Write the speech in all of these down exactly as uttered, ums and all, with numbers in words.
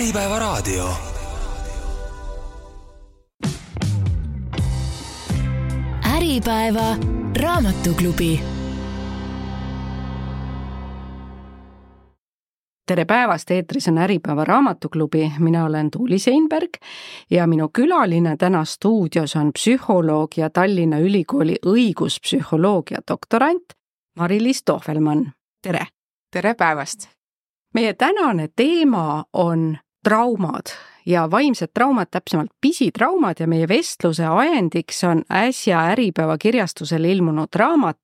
Äripäevaraadio. Äripäeva raamatuklubi. Tere päevast, eetris on Äripäeva raamatuklubi. Mina olen Tuuli Seinberg ja minu külaline täna stuudios on psühholoog ja Tallinna Ülikooli õiguspsühholoogia doktorant Mari-Liis Tohvelmann. Tere! Tere päevast! Meie tänane teema on traumad ja vaimsed traumad, täpsemalt pisitraumad, ja meie vestluse ajendiks on äsja Äripäeva kirjastusel ilmunud raamat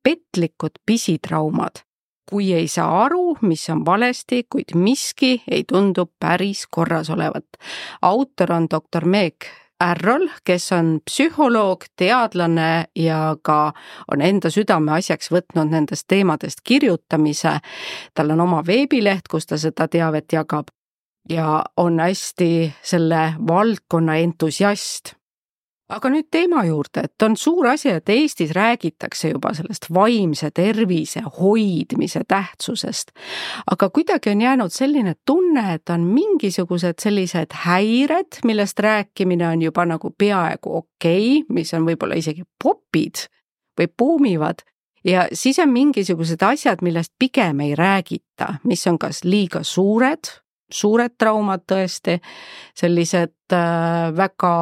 Petlikud pisitraumad. Kui ei saa aru, mis on valesti, kuid miski ei tundu päris korras olevat. Autor on doktor Meg Ärrol, kes on psühholoog, teadlane ja ka on enda südame asjaks võtnud nendest teemadest kirjutamise. Tal on oma veebileht, kus ta seda teavet jagab ja on hästi selle valdkonna entusiast. Aga nüüd teema juurde, et on suur asi, et Eestis räägitakse juba sellest vaimse tervise hoidmise tähtsusest. Aga kuidagi on jäänud selline tunne, et on mingisugused sellised häired, millest rääkimine on juba nagu peaaegu okei, mis on võib-olla isegi popid või buumivad. Ja siis on mingisugused asjad, millest pigem ei räägita, mis on kas liiga suured, suured traumad tõesti, sellised äh, väga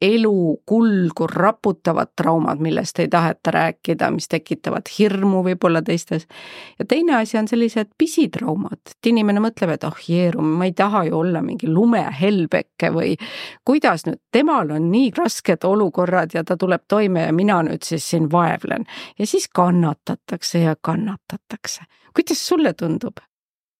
elu kulgu raputavad traumad, millest ei taheta rääkida, mis tekitavad hirmu võib-olla teistes. Ja teine asi on sellised pisitraumad, et inimene mõtleb, et oh jeeru, ma ei taha ju olla mingi lumehelbeke või kuidas nüüd, temal on nii rasked olukorrad ja ta tuleb toime ja mina nüüd siis siin vaevlen. Ja siis kannatatakse ja kannatatakse. Kuidas sulle tundub?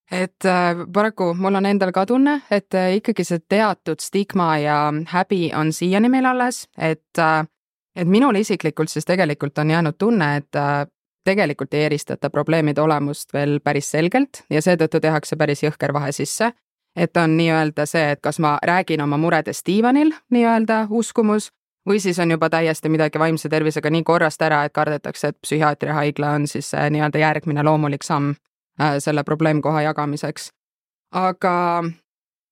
Et äh, paraku mul on endal ka tunne, et äh, ikkagi see teatud stigma ja häbi on siiani meil alles, et, äh, et minul isiklikult siis tegelikult on jäänud tunne, et äh, tegelikult ei eristata probleemide olemust veel päris selgelt ja seetõttu tehakse päris jõhker vahe sisse, et on nii-öelda see, et kas ma räägin oma muredest diivanil, nii-öelda uskumus, või siis on juba täiesti midagi vaimse tervisega nii korrast ära, et kardetakse, et psühhiaatriahaigla on siis äh, nii-öelda järgmine loomulik samm selle probleemkoha jagamiseks. Aga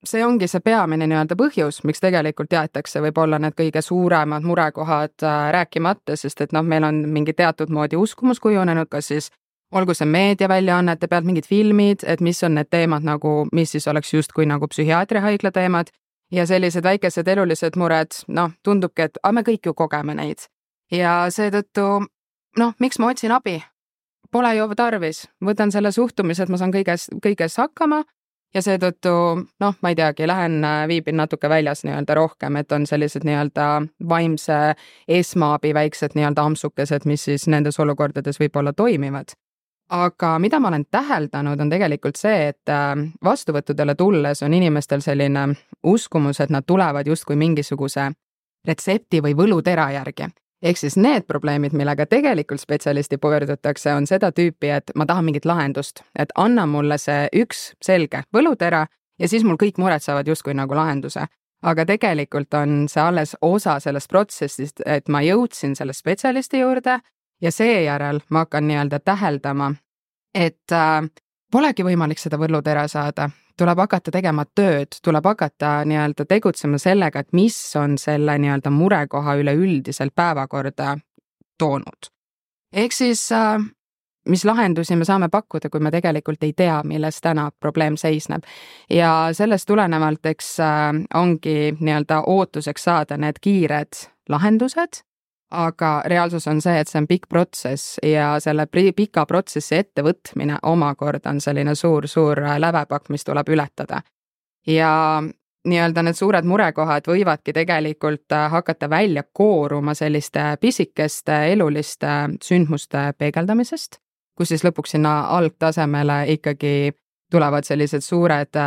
see ongi see peamine nii-öelda põhjus, miks tegelikult jäetakse võib-olla need kõige suuremad murekohad rääkimata, sest et noh, meil on mingi teatud moodi uskumus kujunenud, kas siis olgu see meediaväljaannete pealt mingid filmid, et mis on need teemad nagu, mis siis oleks justkui nagu psühhiaatriahaigla teemad ja sellised väikesed elulised mured, noh, tundubki, et me kõik ju kogeme neid. Ja seetõttu, noh, miks ma otsin abi? Pole ju tarvis, võtan selle suhtumise, et ma saan kõiges, kõiges hakkama ja seetõttu, noh, ma ei teagi, lähen viibin natuke väljas nii-öelda rohkem, et on sellised nii-öelda vaimse esmaabi väiksed nii-öelda ampsukesed, mis siis nendes olukordades võib-olla toimivad. Aga mida ma olen täheldanud, on tegelikult see, et vastuvõttudele tulles on inimestel selline uskumus, et nad tulevad justkui mingisuguse retsepti või võlutera järgi. Ehk siis need probleemid, millega tegelikult spetsialisti pöördutakse, on seda tüüpi, et ma tahan mingit lahendust, et anna mulle see üks selge võlutera ja siis mul kõik mured saavad justkui nagu lahenduse. Aga tegelikult on see alles osa sellest protsessist, et ma jõudsin selle spetsialisti juurde ja seejärel ma hakkan nii-öelda täheldama, et äh, polegi võimalik seda võlutera saada. Tuleb hakata tegema tööd, tuleb hakata nii-öelda tegutsema sellega, et mis on selle nii-öelda murekoha üleüldiselt päevakorda toonud. Ehk siis, mis lahendusi me saame pakkuda, kui me tegelikult ei tea, milles täna probleem seisneb. Ja sellest tulenevalt, eks ongi nii-öelda ootuseks saada need kiired lahendused, aga reaalsus on see, et see on pikk protsess ja selle pika protsessi ettevõtmine omakorda on selline suur-suur lävepakk, mis tuleb ületada. Ja nii-öelda need suured murekohad võivadki tegelikult hakata välja kooruma selliste pisikeste eluliste sündmuste peegeldamisest, kus siis lõpuks sinna algtasemele ikkagi tulevad sellised suured,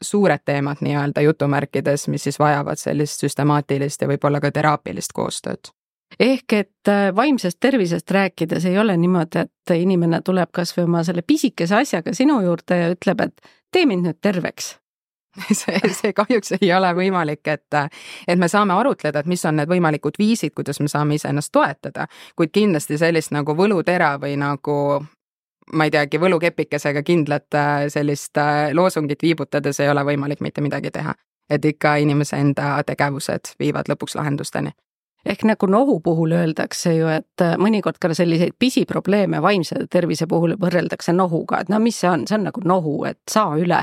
suured teemad nii-öelda jutumärkides, mis siis vajavad sellist süstemaatilist ja võib-olla ka teraapilist koostööd. Ehk et vaimsest tervisest rääkides ei ole niimoodi, et inimene tuleb kas või oma selle pisikese asjaga sinu juurde ja ütleb, et tee mind nüüd terveks. See, see kahjuks ei ole võimalik, et, et me saame arutleda, et mis on need võimalikud viisid, kuidas me saame ise ennast toetada, kuid kindlasti sellist nagu võlutera või nagu ma ei teagi, võlukepikesega kindlat sellist loosungit viibutades ei ole võimalik mitte midagi teha. Et ikka inimese enda tegevused viivad lõpuks lahendusteni. Ehk nagu nohu puhul öeldakse ju, et mõnikord ka selliseid pisiprobleeme vaimse tervise puhul võrreldakse nohuga, et no mis see on, see on nagu nohu, et saa üle.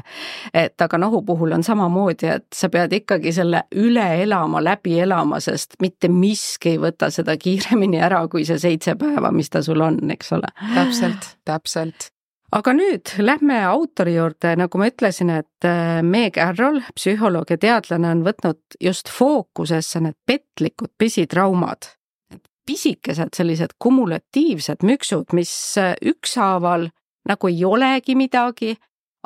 Et aga nohu puhul on samamoodi, et sa pead ikkagi selle üle elama, läbi elama, sest mitte miski ei võta seda kiiremini ära, kui see seitse päeva, mis ta sul on, eks ole. Täpselt, täpselt. Aga nüüd lähme autori juurde, nagu ma ütlesin, et Meg Arroll, psühholoog ja teadlane, on võtnud just fookusesse need petlikud pisitraumad. Pisikesed sellised kumulatiivsed müksud, mis ükshaaval nagu ei olegi midagi,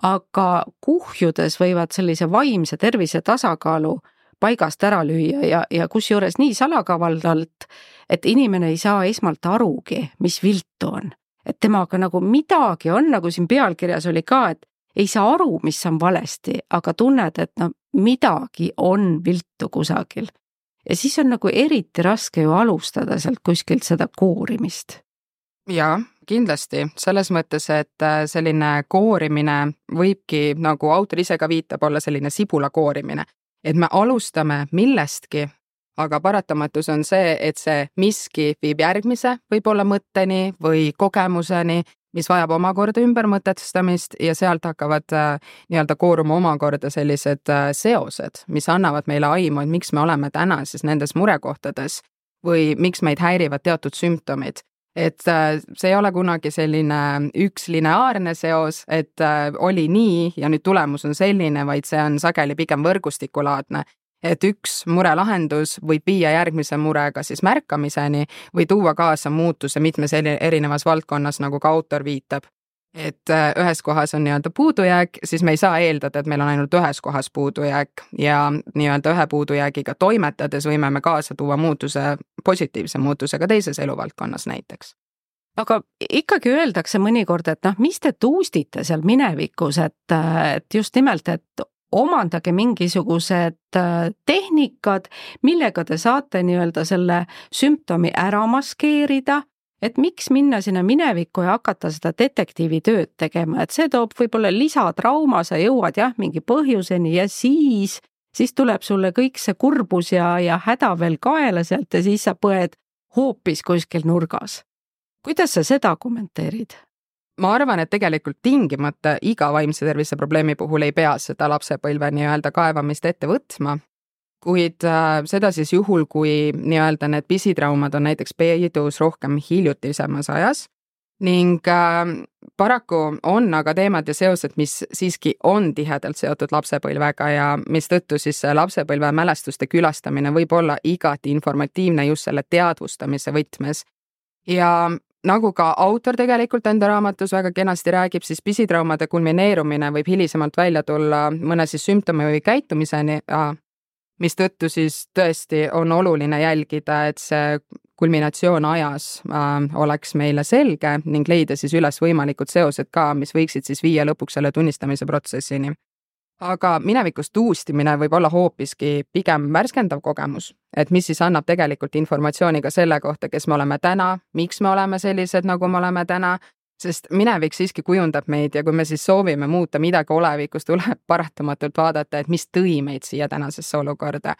aga kuhjudes võivad sellise vaimse tervise tasakaalu paigast ära lüüa ja, ja kusjuures nii salakavaldalt, et inimene ei saa esmalt arugi, mis viltu on. Et temaga nagu midagi on, nagu siin pealkirjas oli ka, et ei saa aru, mis on valesti, aga tunned, et no midagi on viltu kusagil. Ja siis on nagu eriti raske ju alustada sealt kuskilt seda koorimist. Jaa, kindlasti. Selles mõttes, et selline koorimine võibki, nagu autor ise ka viitab, olla selline sibula koorimine. Et me alustame millestki, aga paratamatus on see, et see miski viib järgmise võib-olla mõtteni või kogemuseni, mis vajab omakorda ümbermõtestamist ja sealt hakkavad äh, nii-öelda kooruma omakorda sellised äh, seosed, mis annavad meile aimu, et miks me oleme täna siis nendes murekohtades või miks meid häirivad teatud sümptomid. Et äh, see ei ole kunagi selline üks lineaarne seos, et äh, oli nii ja nüüd tulemus on selline, vaid see on sageli pigem võrgustikulaadne. Et üks mure lahendus võib viia järgmise murega siis märkamiseni või tuua kaasa muutuse mitmes erinevas valdkonnas, nagu ka autor viitab. Et ühes kohas on nii-öelda puudujääk, siis me ei saa eeldada, et meil on ainult ühes kohas puudujääk ja nii-öelda ühe puudujäägiga toimetades võime me kaasa tuua muutuse, positiivse muutuse ka teises eluvaldkonnas näiteks. Aga ikkagi öeldakse mõnikord, et noh, mis te tuustite seal minevikus, et, et just nimelt, et omandage mingisugused tehnikad, millega te saate nii-öelda selle sümptomi ära maskeerida, et miks minna sinna minevikku ja hakata seda detektiivi tööd tegema, et see toob võib-olla lisatrauma, sa jõuad jah mingi põhjuseni ja siis, siis tuleb sulle kõik see kurbus ja, ja häda veel kaela sealt ja siis sa põed hoopis kuskil nurgas. Kuidas sa seda kommenteerid? Ma arvan, et tegelikult tingimata iga vaimse tervise probleemi puhul ei pea seda lapsepõlve nii-öelda kaevamist ette võtma, kuid äh, seda siis juhul, kui nii-öelda need pisitraumad on näiteks peidus rohkem hiljutisemas ajas ning äh, paraku on aga teemad ja seosed, mis siiski on tihedalt seotud lapsepõlvega ja mis tõttu siis lapsepõlve mälestuste külastamine võib olla igati informatiivne just selle teadvustamise võtmes ja nagu ka autor tegelikult enda raamatus väga kenasti räägib, siis pisitraumade kulmineerumine võib hilisemalt välja tulla mõne siis sümptomi või käitumiseni, mis tõttu siis tõesti on oluline jälgida, et see kulminatsioon ajas äh, oleks meile selge ning leida siis üles võimalikud seosed ka, mis võiksid siis viia lõpuks selle tunnistamise protsessini. Aga minevikust tuustimine võib olla hoopiski pigem värskendav kogemus, et mis siis annab tegelikult informatsiooni ka selle kohta, kes me oleme täna, miks me oleme sellised, nagu me oleme täna, sest minevik siiski kujundab meid ja kui me siis soovime muuta midagi olevikus, tuleb paratamatult vaadata, et mis tõi meid siia tänasesse olukorda.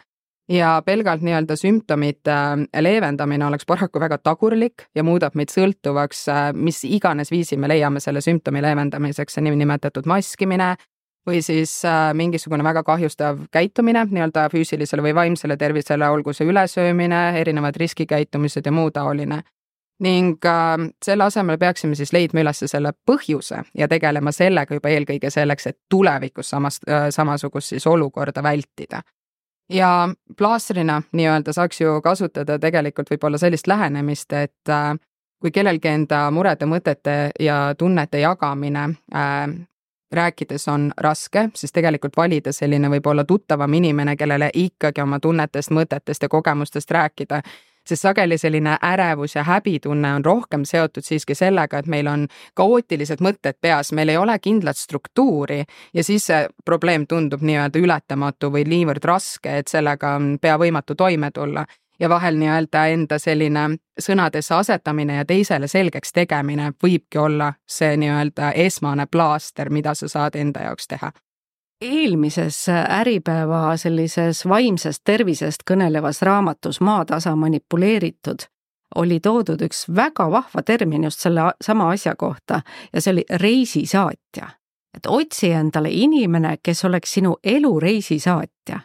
Ja pelgalt nii-öelda sümptomite leevendamine oleks paraku väga tagurlik ja muudab meid sõltuvaks, mis iganes viisi me leiame selle sümptomi leevendamiseks, see nimetatud maskimine, või siis äh, mingisugune väga kahjustav käitumine nii-öelda füüsilisele või vaimsele tervisele, olgu see ülesöömine, erinevad riskikäitumised ja muu taoline. Ning äh, selle asemel peaksime siis leidma üles selle põhjuse ja tegelema sellega juba eelkõige selleks, et tulevikus samast, äh, samasugust siis olukorda vältida. Ja plaastrina nii-öelda saaks ju kasutada tegelikult võib-olla sellist lähenemist, et äh, kui kellelgi enda murede, mõtete ja tunnete jagamine äh, rääkides on raske, siis tegelikult valida selline võib-olla tuttavam inimene, kellele ikkagi oma tunnetest, mõtetest ja kogemustest rääkida, sest sageli selline ärevus ja häbitunne on rohkem seotud siiski sellega, et meil on kaootilised mõtted peas, meil ei ole kindlat struktuuri ja siis see probleem tundub nii-öelda ületamatu või niivõrd raske, et sellega on pea võimatu toime tulla. ja vahel nii-öelda enda selline sõnadesse asetamine ja teisele selgeks tegemine võibki olla see nii-öelda esmane plaaster, mida sa saad enda jaoks teha. Eelmises Äripäeva sellises vaimsest tervisest kõnelevas raamatus Maatasa manipuleeritud oli toodud üks väga vahva termin just selle sama asja kohta ja see oli reisisaatja. Et otsi endale inimene, kes oleks sinu elu reisisaatja.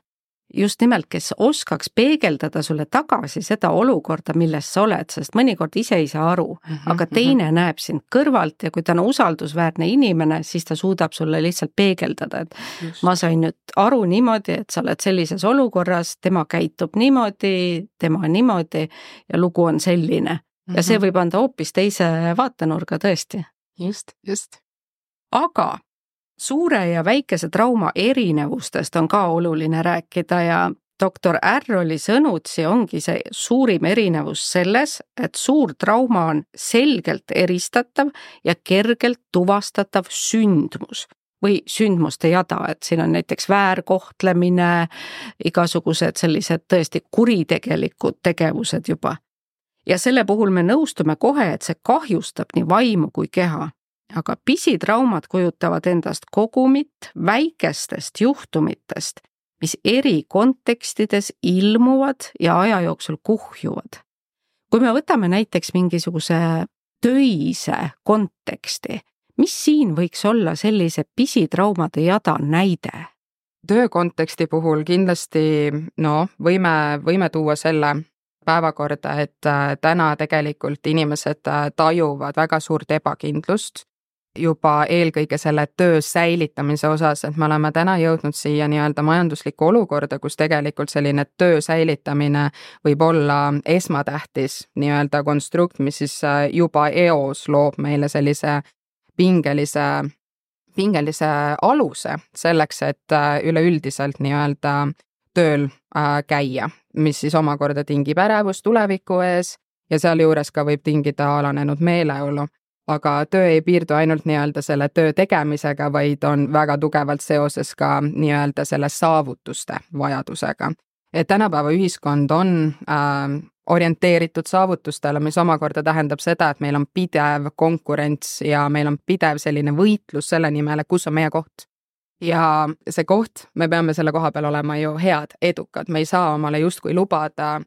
Just nimelt, kes oskaks peegeldada sulle tagasi seda olukorda, milles sa oled, sest mõnikord ise ei saa aru, mm-hmm, aga teine mm-hmm. näeb sind kõrvalt ja kui ta on usaldusväärne inimene, siis ta suudab sulle lihtsalt peegeldada, et just. Ma sain nüüd aru niimoodi, et sa oled sellises olukorras, tema käitub niimoodi, tema niimoodi ja lugu on selline. Mm-hmm. Ja see võib anda hoopis teise vaatenurga tõesti. Just, just. Aga suure ja väikese trauma erinevustest on ka oluline rääkida ja doktor Arroli sõnutsi ongi see suurim erinevus selles, et suur trauma on selgelt eristatav ja kergelt tuvastatav sündmus või sündmuste jada, et siin on näiteks väärkohtlemine, igasugused sellised tõesti kuritegelikud tegevused juba. Ja selle puhul me nõustume kohe, et see kahjustab nii vaimu kui keha. Aga pisitraumad kujutavad endast kogumit väikestest juhtumitest, mis eri kontekstides ilmuvad ja aja jooksul kuhjuvad. Kui me võtame näiteks mingisuguse töise konteksti, mis siin võiks olla sellise pisitraumade jada näide? Töö konteksti puhul kindlasti no, võime, võime tuua selle päevakorda, et täna tegelikult inimesed tajuvad väga suurt ebakindlust juba eelkõige selle töö säilitamise osas, et me oleme täna jõudnud siia nii-öelda majanduslikku olukorda, kus tegelikult selline töö säilitamine võib olla esmatähtis nii-öelda konstrukt, mis siis juba eos loob meile sellise pingelise, pingelise aluse selleks, et üleüldiselt nii-öelda tööl käia, mis siis omakorda tingib ärevust tuleviku ees ja sealjuures ka võib tingida alanenud meeleolu. Aga töö ei piirdu ainult nii-öelda selle töö tegemisega, vaid on väga tugevalt seoses ka nii-öelda selle saavutuste vajadusega. Et tänapäeva ühiskond on äh, orienteeritud saavutustele, mis omakorda tähendab seda, et meil on pidev konkurents ja meil on pidev selline võitlus selle nimel, kus on meie koht. Ja see koht, me peame selle koha peal olema ju head, edukad, me ei saa omale justkui lubada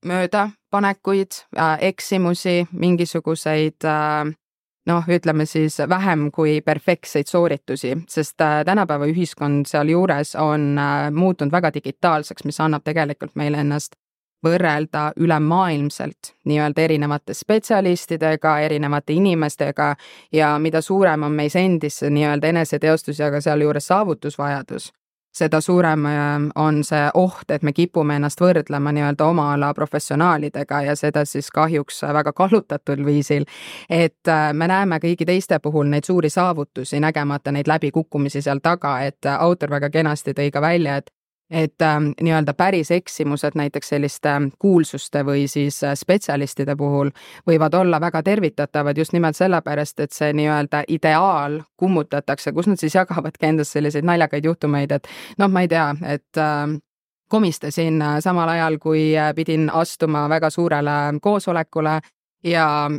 möödapanekuid, äh, eksimusi, mingisuguseid äh, noh, ütleme siis vähem kui perfektseid sooritusi, sest tänapäeva ühiskond seal juures on muutunud väga digitaalseks, mis annab tegelikult meile ennast võrrelda ülemaailmselt nii-öelda erinevate spetsialistidega, erinevate inimestega ja mida suurem on meis endis nii-öelda eneseteostus ja ka seal juures saavutusvajadus, seda suurem on see oht, et me kipume ennast võrdlema nii-öelda oma ala professionaalidega ja seda siis kahjuks väga kallutatud viisil, et me näeme kõigi teiste puhul neid suuri saavutusi, nägemata neid läbikukkumisi seal taga, et autor väga kenasti tõi ka välja, et et ähm, nii-öelda päris eksimused näiteks selliste kuulsuste või siis spetsialistide puhul võivad olla väga tervitatavad just nimelt sellepärast, et see nii-öelda ideaal kummutatakse, kus nad siis jagavadki endast selliseid naljakaid juhtumeid, et noh, ma ei tea, et äh, komistasin samal ajal, kui pidin astuma väga suurele koosolekule ja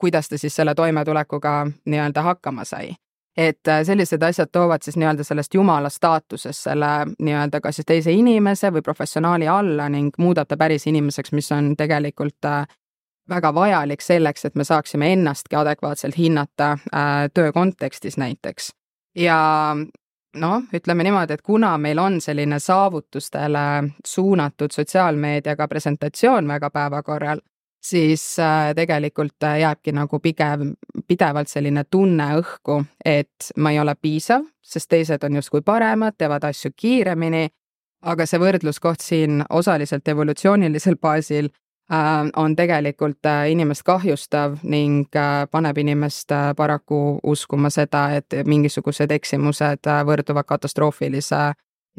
kuidas ta siis selle toimetulekuga nii-öelda hakkama sai. Et sellised asjad toovad siis nii-öelda sellest jumala staatusest selle nii-öelda kas siis teise inimese või professionaali alla ning muudab ta päris inimeseks, mis on tegelikult väga vajalik selleks, et me saaksime ennastki adekvaatselt hinnata töö kontekstis näiteks. Ja noh, ütleme niimoodi, et kuna meil on selline saavutustele suunatud sotsiaalmeediaga presentatsioon väga päevakorral, siis tegelikult jääbki nagu pigev, pidevalt selline tunne õhku, et ma ei ole piisav, sest teised on justkui paremad, teevad asju kiiremini, aga see võrdluskoht siin osaliselt evolutsioonilisel baasil on tegelikult inimest kahjustav ning paneb inimest paraku uskuma seda, et mingisugused eksimused võrduvad katastroofilise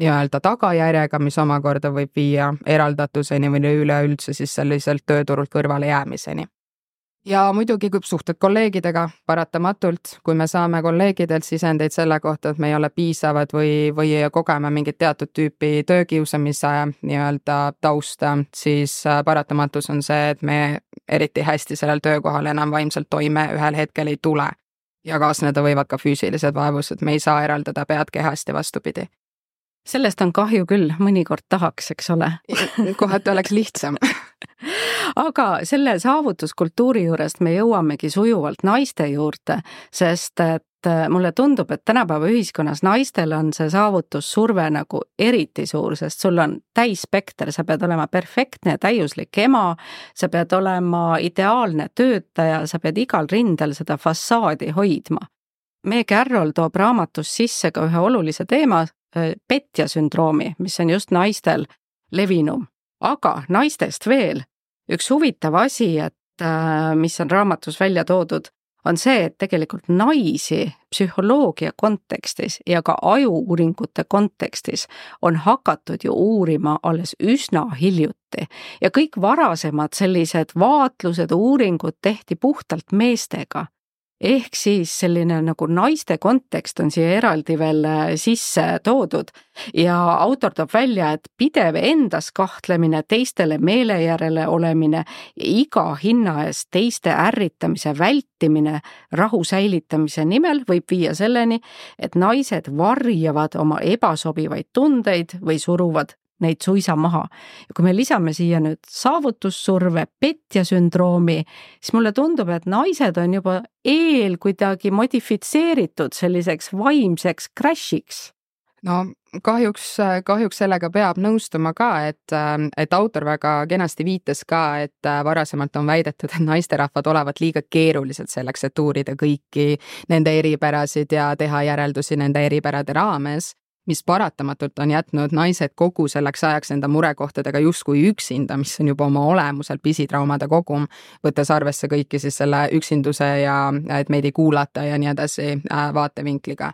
nii-öelda tagajärjega, mis omakorda võib viia eraldatuseni või üleüldse siis selliselt tööturult kõrvale jäämiseni. ja muidugi kui suhted kolleegidega paratamatult, kui me saame kolleegidelt sisendeid selle kohta, et me ei ole piisavad või, või kogeme mingit teatud tüüpi töökiusamise nii-öelda tausta, siis paratamatus on see, et me eriti hästi sellel töökohal enam vaimselt toime ühel hetkel ei tule. Ja kaasneda võivad ka füüsilised vaevused, me ei saa eraldada pead kehast ja vastupidi. Sellest on kahju küll, mõnikord tahaks, eks ole. Kohati oleks lihtsam. Aga selle saavutuskultuuri juurest me jõuamegi sujuvalt naiste juurde, sest et mulle tundub, et tänapäeva ühiskonnas naistel on see saavutussurve nagu eriti suur, sest sul on täisspekter, sa pead olema perfektne ja täiuslik ema, sa pead olema ideaalne töötaja, sa pead igal rindel seda fassaadi hoidma. Meg Carroll toob raamatus sisse ka ühe olulise teema, petja sündroomi, mis on just naistel levinum. Aga naistest veel üks huvitav asi, et mis on raamatus välja toodud, on see, et tegelikult naisi psühholoogia kontekstis ja ka ajuuuringute kontekstis on hakatud ju uurima alles üsna hiljuti. Ja kõik varasemad sellised vaatlused, uuringud tehti puhtalt meestega. Ehk siis selline nagu naiste kontekst on siia eraldi veel sisse toodud ja autor toob välja, et pidev endas kahtlemine, teistele meele järele olemine ja iga hinna eest teiste ärritamise vältimine rahu säilitamise nimel võib viia selleni, et naised varjavad oma ebasobivaid tundeid või suruvad neid suisa maha. Ja kui me lisame siia nüüd saavutussurve, petja sündroomi, siis mulle tundub, et naised on juba eel kuidagi modifitseeritud selliseks vaimseks crashiks. No kahjuks, kahjuks sellega peab nõustuma ka, et, et autor väga kenasti viitas ka, et varasemalt on väidetud, et naisterahvad olevat liiga keerulised selleks, et uurida kõiki nende eripärasid ja teha järeldusi nende eripärade raames, mis paratamatult on jätnud naised kogu selleks ajaks enda murekohtadega justkui üksinda, mis on juba oma olemuselt pisitraumade kogum, võttes arvesse kõiki siis selle üksinduse ja et meid ei kuulata ja nii edasi vaatevinkliga.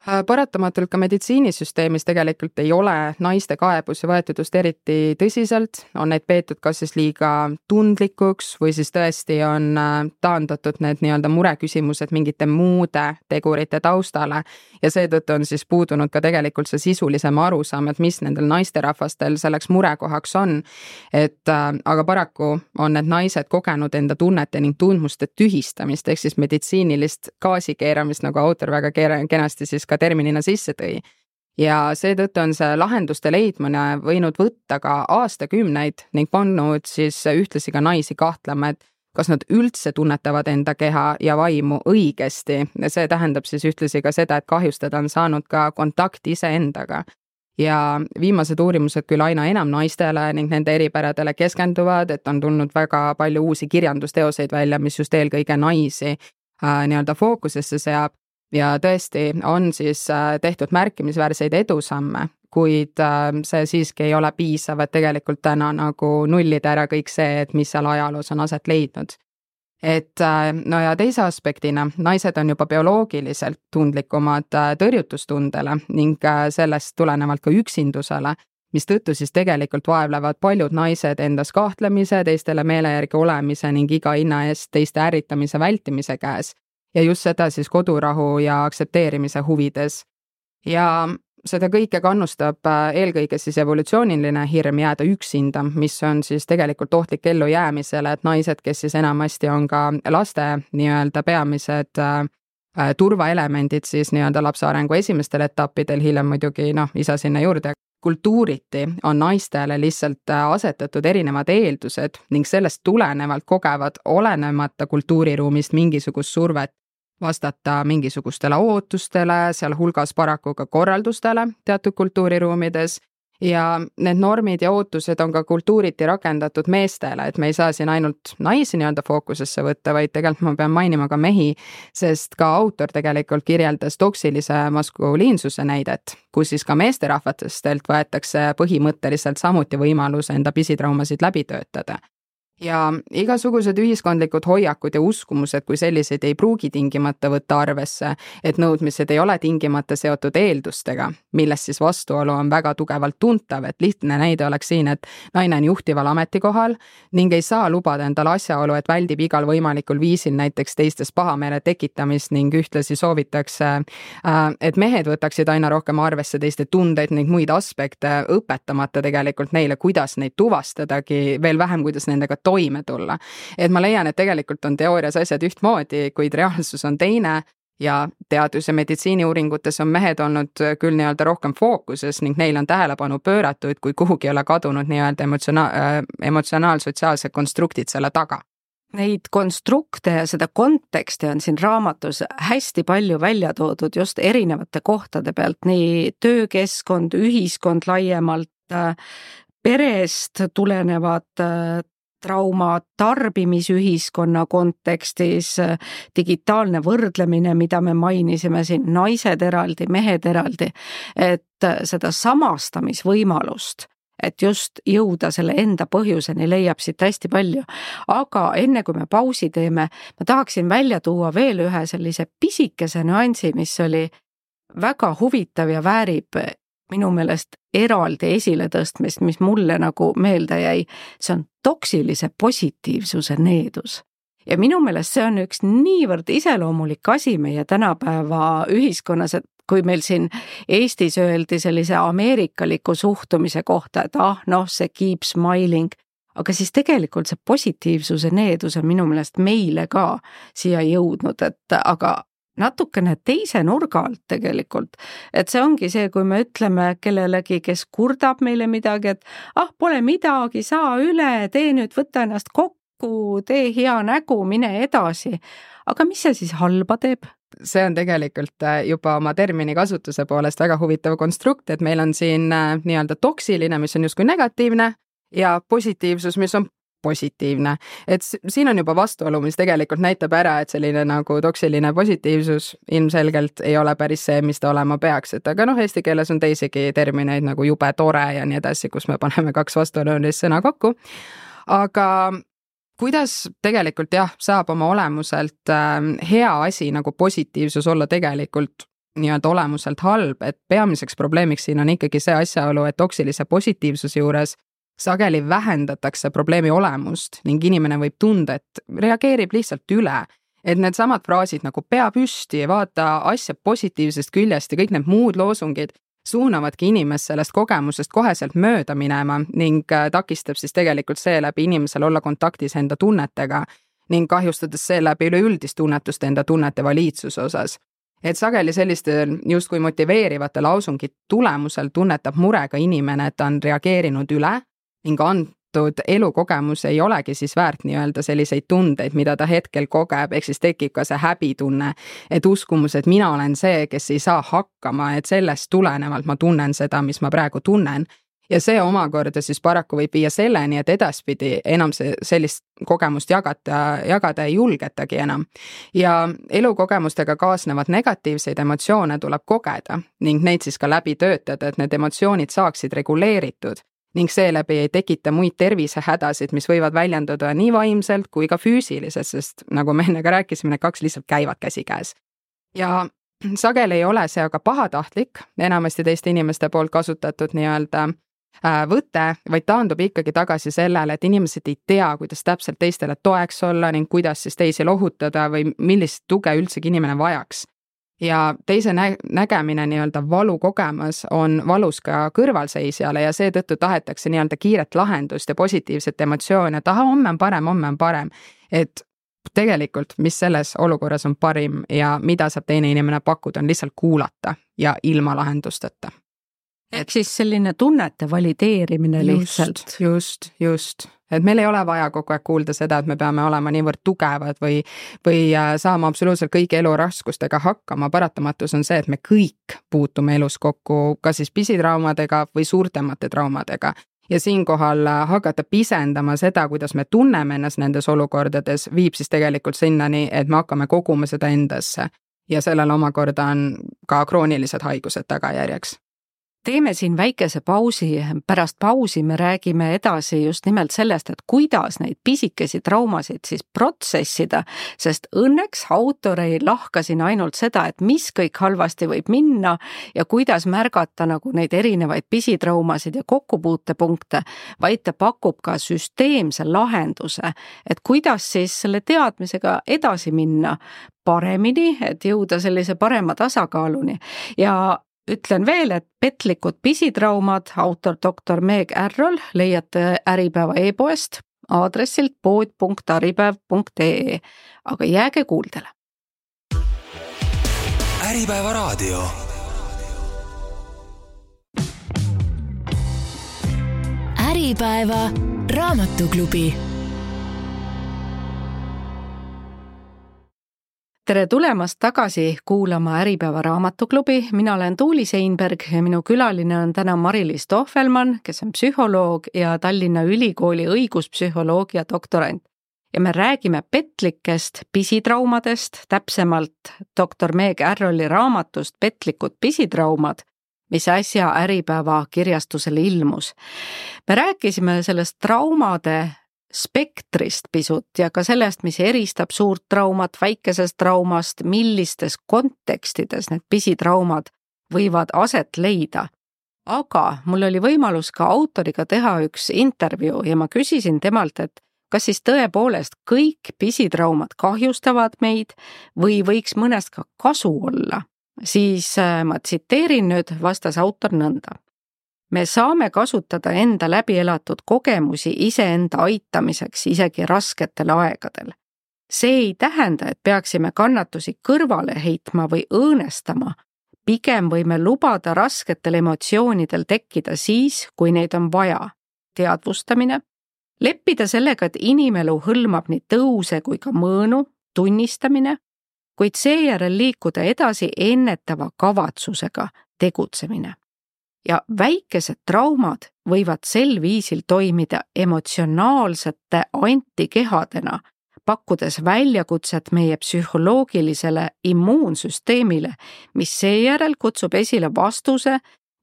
Paratamatult ka meditsiinisüsteemis tegelikult ei ole naiste kaebusi võetud just eriti tõsiselt, on neid peetud kas siis liiga tundlikuks või siis tõesti on taandatud need nii-öelda mureküsimused mingite muude tegurite taustale ja seetõttu on siis puudunud ka tegelikult see sisulisem arusaam, et mis nendel naisterahvastel selleks murekohaks on. Et aga paraku on need naised kogenud enda tunnete ning tundmuste tühistamist, ehk siis meditsiinilist gaasikeeramist, nagu autor väga kenasti siis ka terminina sisse tõi. Ja seetõttu on see lahenduste leidmine võinud võtta ka aastakümneid ning pannud siis ühtlasi ka naisi kahtlema, et kas nad üldse tunnetavad enda keha ja vaimu õigesti. Ja see tähendab siis ühtlasi ka seda, et kahjustada on saanud ka kontakt iseendaga. Ja viimased uurimused küll aina enam naistele ning nende eripäradele keskenduvad, et on tulnud väga palju uusi kirjandusteoseid välja, mis just eelkõige naisi äh, nii-öelda fookusesse seab. Ja tõesti on siis tehtud märkimisväärseid edusamme, kuid see siiski ei ole piisav, et tegelikult täna nagu nullida ära kõik see, et mis seal ajaloos on aset leidnud. Et no ja teise aspektina, naised on juba bioloogiliselt tundlikumad tõrjutustundele ning sellest tulenevalt ka üksindusele, mis tõttu siis tegelikult vaevlevad paljud naised endas kahtlemise, teistele meele järgi olemise ning iga hinna eest teiste ärritamise vältimise käes. Ja just seda siis kodurahu ja aktsepteerimise huvides. Ja seda kõike kannustab eelkõige siis evolutsiooniline hirm jääda üksinda, mis on siis tegelikult ohtlik ellu jäämisele, et naised, kes siis enamasti on ka laste nii-öelda peamised äh, turvaelemendid siis nii-öelda lapse arengu esimestel etappidel, hiljem muidugi noh, isa sinna juurde. Kultuuriti on naistele lihtsalt asetatud erinevad eeldused ning sellest tulenevalt kogevad olenemata kultuuriruumist mingisugust survet vastata mingisugustele ootustele, seal hulgas paraku ka korraldustele teatud kultuuriruumides ja need normid ja ootused on ka kultuuriti rakendatud meestele, et me ei saa siin ainult naisi nii-öelda fookusesse võtta, vaid tegelikult ma pean mainima ka mehi, sest ka autor tegelikult kirjeldas toksilise maskuliinsuse näidet, kus siis ka meesterahvatestelt võetakse põhimõtteliselt samuti võimalus enda pisitraumasid läbi töötada. ja igasugused ühiskondlikud hoiakud ja uskumused, kui selliseid ei pruugi tingimata võtta arvesse, et nõudmised ei ole tingimata seotud eeldustega, millest siis vastuolu on väga tugevalt tuntav, et lihtne näide oleks siin, et naine on juhtival ametikohal ning ei saa lubada endale asjaolu, et väldib igal võimalikul viisil näiteks teistes pahameele tekitamist ning ühtlasi soovitakse, et mehed võtaksid aina rohkem arvesse teiste tundeid ning muid aspekte, õpetamata tegelikult neile, kuidas neid tuvastadagi, veel vähem, kuidas nendega toime tulla. Et ma leian, et tegelikult on teoorias asjad ühtmoodi, kuid reaalsus on teine ja teadus- ja meditsiiniuuringutes on mehed olnud küll nii-öelda rohkem fookuses ning neil on tähelepanu pööratud, kui kuhugi ei ole kadunud nii-öelda emotsionaal, emotsionaal-sotsiaalsed konstruktid selle taga. Neid konstrukte ja seda konteksti on siin raamatus hästi palju välja toodud just erinevate kohtade pealt, nii töökeskkond, ühiskond laiemalt, perest tulenevad trauma, tarbimisühiskonna kontekstis, digitaalne võrdlemine, mida me mainisime siin, naised eraldi, mehed eraldi, et seda samastamisvõimalust, et just jõuda selle enda põhjuseni, leiab siit hästi palju. Aga enne kui me pausi teeme, ma tahaksin välja tuua veel ühe sellise pisikese nüansi, mis oli väga huvitav ja väärib minu meelest eraldi esile tõstmist, mis mulle nagu meelde jäi, see on toksilise positiivsuse needus. Ja minu meelest see on üks niivõrd iseloomulik asi meie tänapäeva ühiskonnas, et kui meil siin Eestis öeldi sellise ameerikaliku suhtumise kohta, et ah, noh, see keep smiling, aga siis tegelikult see positiivsuse needus on minu meelest meile ka siia jõudnud, et aga natukene teise nurga alt tegelikult, et see ongi see, kui me ütleme kellelegi, kes kurdab meile midagi, et ah, pole midagi, saa üle, tee nüüd, võta ennast kokku, tee hea nägu, mine edasi. Aga mis see siis halba teeb? See on tegelikult juba oma termini kasutuse poolest väga huvitav konstrukt, et meil on siin nii-öelda toksiline, mis on justkui negatiivne ja positiivsus, mis on positiivne. Et siin on juba vastuolu, mis tegelikult näitab ära, et selline nagu toksiline positiivsus ilmselgelt ei ole päris see, mis ta olema peaks. Et aga noh, eesti keeles on teisigi termineid nagu jube tore ja nii edasi, kus me paneme kaks vastuolulist sõna kokku. Aga kuidas tegelikult jah, saab oma olemuselt hea asi nagu positiivsus olla tegelikult nii-öelda olemuselt halb, et peamiseks probleemiks siin on ikkagi see asjaolu, et toksilise positiivsuse juures sageli vähendatakse probleemi olemust ning inimene võib tunda, et reageerib lihtsalt üle, et need samad fraasid nagu pea püsti ja vaata asja positiivsest küljest ja kõik need muud loosungid suunavadki inimest sellest kogemusest koheselt mööda minema ning takistab siis tegelikult seeläbi inimesel olla kontaktis enda tunnetega ning kahjustades seeläbi üleüldist tunnetust enda tunnete valiidsuse osas. Et sageli selliste justkui motiveerivate lausungid tulemusel tunnetab murega inimene, et ta on reageerinud üle ning antud elukogemus ei olegi siis väärt nii-öelda selliseid tundeid, mida ta hetkel kogeb, ehk siis tekib ka see häbitunne, et uskumus, et mina olen see, kes ei saa hakkama, et sellest tulenevalt ma tunnen seda, mis ma praegu tunnen. Ja see omakorda siis paraku võib viia selleni, et edaspidi enam see sellist kogemust jagata, jagada ei julgetagi enam. Ja elukogemustega kaasnevad negatiivseid emotsioone tuleb kogeda ning neid siis ka läbi töötada, et need emotsioonid saaksid reguleeritud ning seeläbi ei tekita muid tervisehädasid, mis võivad väljenduda nii vaimselt kui ka füüsiliselt, sest nagu me enne ka rääkisime, need kaks lihtsalt käivad käsikäes. Ja sageli ei ole see aga pahatahtlik, enamasti teiste inimeste poolt kasutatud nii-öelda võte, vaid taandub ikkagi tagasi sellele, et inimesed ei tea, kuidas täpselt teistele toeks olla ning kuidas siis teisi lohutada või millist tuge üldsegi inimene vajaks. Ja teise nä- nägemine nii-öelda valu kogemas on valus ka kõrvalseisjale ja seetõttu tahetakse nii-öelda kiiret lahendust ja positiivset emotsioone, et aha, homme on parem, homme on parem. Et tegelikult, mis selles olukorras on parim ja mida saab teine inimene pakkuda, on lihtsalt kuulata ja ilma lahendusteta. Et siis selline tunnete valideerimine lihtsalt. Just, just, just. Et meil ei ole vaja kogu aeg kuulda seda, et me peame olema niivõrd tugevad või, või saama absoluutselt kõigi elu raskustega hakkama. Paratamatus on see, et me kõik puutume elus kokku ka siis pisitraumadega või suurtemate traumadega. Ja siinkohal hakata pisendama seda, kuidas me tunneme ennast nendes olukordades, viib siis tegelikult sinnani, et me hakkame koguma seda endasse. Ja sellel omakorda on ka kroonilised haigused tagajärjeks. teeme siin väikese pausi, pärast pausi me räägime edasi just nimelt sellest, et kuidas neid pisikesi traumasid siis protsessida, sest õnneks autor ei lahka siin ainult seda, et mis kõik halvasti võib minna ja kuidas märgata nagu neid erinevaid pisitraumasid ja kokkupuutepunkte, vaid ta pakub ka süsteemse lahenduse, et kuidas siis selle teadmisega edasi minna paremini, et jõuda sellise parema tasakaaluni ja ütlen veel, et petlikud pisitraumad, autor doktor Meg Ärrol leiate Äripäeva e-poest aadressilt pood punkt äripäev punkt ee, aga jääge kuuldele. Äripäeva raadio. Äripäeva raamatuklubi. Tere tulemast tagasi kuulama Äripäeva raamatuklubi. Mina olen Tuuli Seinberg ja minu külaline on täna Mari-Liis Tohvelmann, kes on psühholoog ja Tallinna Ülikooli õiguspsühholoogia doktorant. Ja me räägime petlikest pisitraumadest, täpsemalt doktor Meg Ärroli raamatust Petlikud pisitraumad, mis äsja Äripäeva kirjastusele ilmus. Me rääkisime sellest traumade spektrist pisut ja ka sellest, mis eristab suurt traumat väikesest traumast, millistes kontekstides need pisitraumad võivad aset leida. Aga mul oli võimalus ka autoriga teha üks intervjuu ja ma küsisin temalt, et kas siis tõepoolest kõik pisitraumad kahjustavad meid või võiks mõnest ka kasu olla. Siis ma tsiteerin nüüd, vastas autor nõnda. Me saame kasutada enda läbielatud kogemusi iseenda aitamiseks isegi rasketel aegadel. See ei tähenda, et peaksime kannatusi kõrvale heitma või õõnestama. Pigem võime lubada rasketel emotsioonidel tekkida siis, kui neid on vaja. Teadvustamine. Leppida sellega, et inimelu hõlmab nii tõuse kui ka mõõnu, tunnistamine, kuid seejärel liikuda edasi ennetava kavatsusega tegutsemine. Ja väikesed traumad võivad sel viisil toimida emotsionaalsete antikehadena, pakkudes väljakutset meie psühholoogilisele immuunsüsteemile, mis seejärel kutsub esile vastuse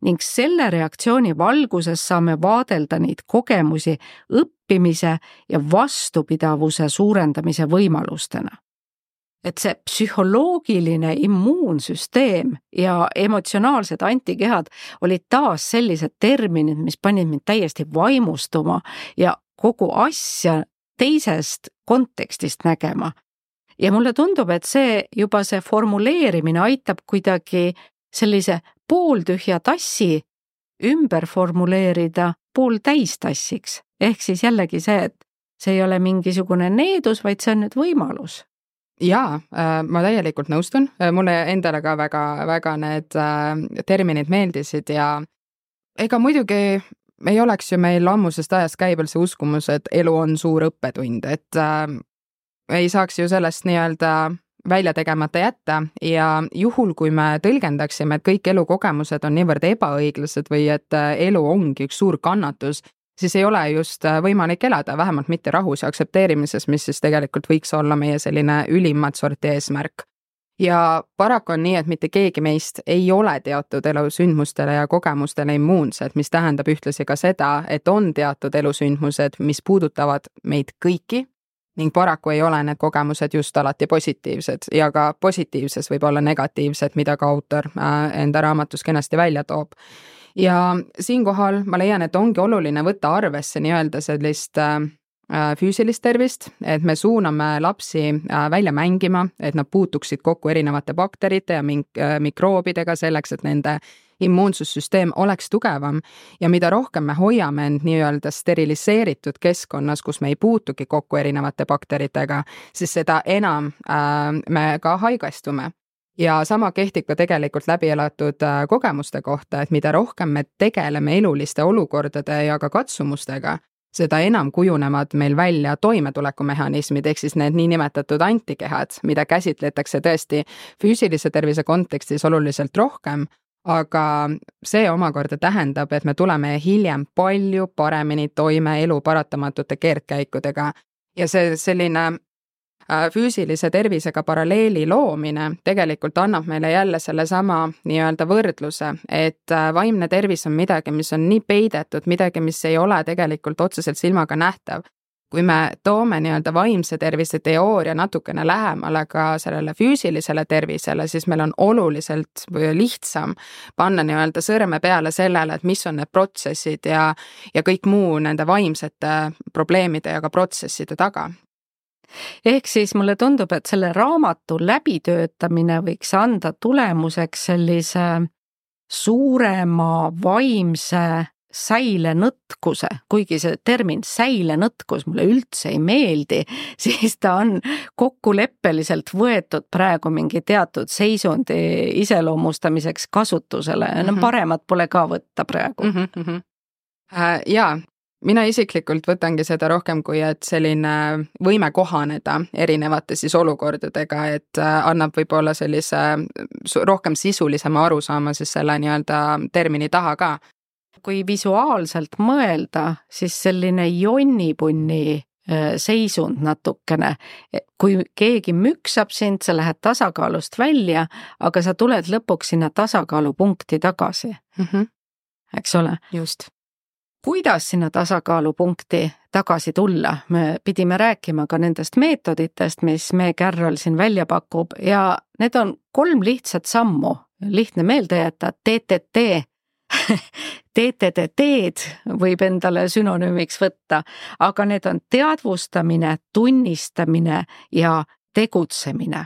ning selle reaktsiooni valguses saame vaadelda neid kogemusi õppimise ja vastupidavuse suurendamise võimalustena. Et see psühholoogiline immuunsüsteem ja emotsionaalsed antikehad olid taas sellised terminid, mis panid mind täiesti vaimustuma ja kogu asja teisest kontekstist nägema. Ja mulle tundub, et see juba see formuleerimine aitab kuidagi sellise pooltühja tassi ümber formuleerida pooltäistassiks. Ehk siis jällegi see, et see ei ole mingisugune needus, vaid see on nüüd võimalus. Jaa, ma täielikult nõustun. Mulle endale ka väga, väga need terminid meeldisid ja ega muidugi ei oleks ju meil ammusest ajast käibel see uskumus, et elu on suur õppetund, et äh, ei saaks ju sellest nii-öelda välja tegemata jätta ja juhul, kui me tõlgendaksime, et kõik elukogemused on niivõrd ebaõiglased või et elu ongi üks suur kannatus, siis ei ole just võimalik elada, vähemalt mitte rahus ja aktsepteerimises, mis siis tegelikult võiks olla meie selline ülimat sorti eesmärk. Ja paraku on nii, et mitte keegi meist ei ole teatud elusündmustele ja kogemustele immuunsed, mis tähendab ühtlasi ka seda, et on teatud elusündmused, mis puudutavad meid kõiki ning paraku ei ole need kogemused just alati positiivsed ja ka positiivses võib olla negatiivsed, mida ka autor enda raamatus kenasti välja toob. Ja siinkohal ma leian, et ongi oluline võtta arvesse nii-öelda sellist füüsilist tervist, et me suuname lapsi välja mängima, et nad puutuksid kokku erinevate bakterite ja mink- mikroobidega selleks, et nende immuunsussüsteem oleks tugevam ja mida rohkem me hoiame end nii-öelda steriliseeritud keskkonnas, kus me ei puutugi kokku erinevate bakteritega, siis seda enam äh, me ka haigestume. Ja sama kehtib ka tegelikult läbielatud kogemuste kohta, et mida rohkem me tegeleme eluliste olukordade ja ka katsumustega, seda enam kujunevad meil välja toimetulekumehhanismid, ehk siis need niinimetatud antikehad, mida käsitletakse tõesti füüsilise tervise kontekstis oluliselt rohkem, aga see omakorda tähendab, et me tuleme hiljem palju paremini toime elu paratamatute keerdkäikudega ja see selline füüsilise tervisega paralleeli loomine tegelikult annab meile jälle selle sama nii-öelda võrdluse, et vaimne tervis on midagi, mis on nii peidetud, midagi, mis ei ole tegelikult otseselt silmaga nähtav. Kui me toome nii-öelda vaimse tervise teooria natukene lähemale ka sellele füüsilisele tervisele, siis meil on oluliselt lihtsam panna nii-öelda sõrme peale sellele, et mis on need protsessid ja, ja kõik muu nende vaimsete probleemide ja ka protsesside taga. Ehk siis mulle tundub, et selle raamatu läbitöötamine võiks anda tulemuseks sellise suurema vaimse säilenõtkuse, kuigi see termin säilenõtkus mulle üldse ei meeldi, siis ta on kokkuleppeliselt võetud praegu mingi teatud seisundi iseloomustamiseks kasutusele. Mm-hmm. No paremat pole ka võtta praegu. Mm-hmm. Äh, jaa, mina isiklikult võtangi seda rohkem kui, et selline võime kohaneda erinevate siis olukordadega, et annab võib-olla sellise rohkem sisulisema arusaama siis selle nii-öelda termini taha ka. Kui visuaalselt mõelda, siis selline jonnipunni seisund natukene. Kui keegi müksab sind, sa lähed tasakaalust välja, aga sa tuled lõpuks sinna tasakaalupunkti tagasi. Mm-hmm. Eks ole? Just. Kuidas sinna tasakaalupunkti tagasi tulla? Me pidime rääkima ka nendest meetoditest, mis me Carol siin välja pakub ja need on kolm lihtsat sammu. Lihtne meelde jätta, T T T T T T T-d võib endale sünonüümiks võtta, aga need on teadvustamine, tunnistamine ja tegutsemine.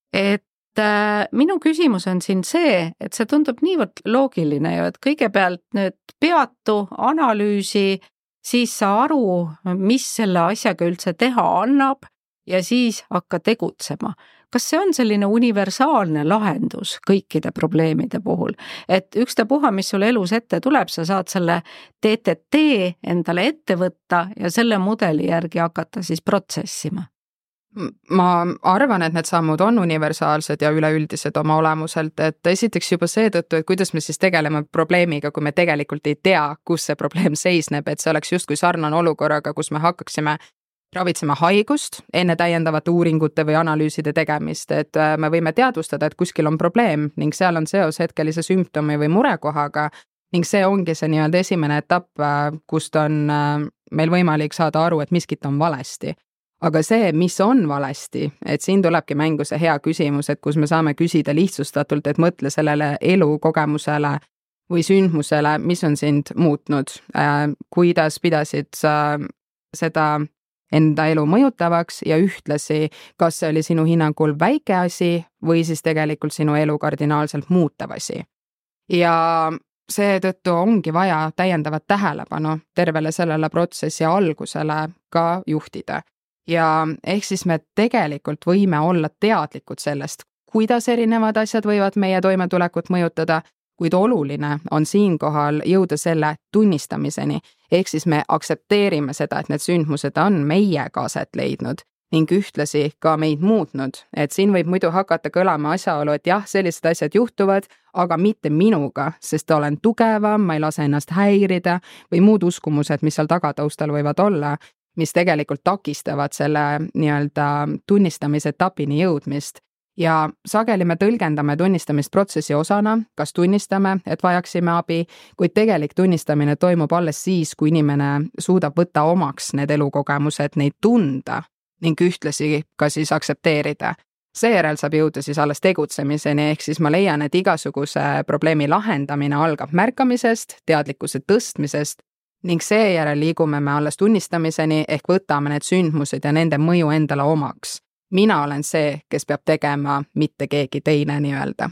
Et äh, minu küsimus on siin see, et see tundub niivõrd loogiline ju, et kõigepealt nüüd peatu, analüüsi, siis sa aru, mis selle asjaga üldse teha annab ja siis hakka tegutsema. Kas see on selline universaalne lahendus kõikide probleemide puhul, et ükstapuha, mis sul elus ette tuleb, sa saad selle T T T endale ette võtta ja selle mudeli järgi hakata siis protsessima? Ma arvan, et need sammud on universaalsed ja üleüldised oma olemuselt, et esiteks juba seetõttu, et kuidas me siis tegeleme probleemiga, kui me tegelikult ei tea, kus see probleem seisneb, et see oleks justkui sarnane olukorraga, kus me hakkaksime ravitsema haigust enne täiendavate uuringute või analüüside tegemist, et me võime teadvustada, et kuskil on probleem ning seal on seos hetkelise sümptomi või murekohaga ning see ongi see nii-öelda esimene etapp, kust on meil võimalik saada aru, et miskit on valesti. Aga see, mis on valesti, et siin tulebki mängu see hea küsimus, et kus me saame küsida lihtsustatult, et mõtle sellele elukogemusele või sündmusele, mis on sind muutnud, kuidas pidasid sa seda enda elu mõjutavaks ja ühtlasi, kas see oli sinu hinnangul väike asi või siis tegelikult sinu elu kardinaalselt muutav asi. Ja seetõttu ongi vaja täiendavat tähelepanu tervele sellele protsessi algusele ka juhtida. Ja ehk siis me tegelikult võime olla teadlikud sellest, kuidas erinevad asjad võivad meie toimetulekut mõjutada, kuid oluline on siinkohal jõuda selle tunnistamiseni, ehk siis me aksepteerime seda, et need sündmused on meiega aset leidnud ning ühtlasi ka meid muutnud, et siin võib muidu hakata kõlama asjaolu, et jah, sellised asjad juhtuvad, aga mitte minuga, sest olen tugevam, ma ei lase ennast häirida või muud uskumused, mis seal tagataustal võivad olla, mis tegelikult takistavad selle nii-öelda tunnistamise etapini jõudmist. Ja sageli me tõlgendame tunnistamist protsessi osana, kas tunnistame, et vajaksime abi, kuid tegelik tunnistamine toimub alles siis, kui inimene suudab võtta omaks need elukogemused, neid tunda ning ühtlasi ka siis aksepteerida. Seejärel saab jõuda siis alles tegutsemiseni, ehk siis ma leian, et igasuguse probleemi lahendamine algab märkamisest, teadlikkuse tõstmisest ning seejärel liigume me alles tunnistamiseni ehk võtame need sündmused ja nende mõju endale omaks. Mina olen see, kes peab tegema, mitte keegi teine nii-öelda.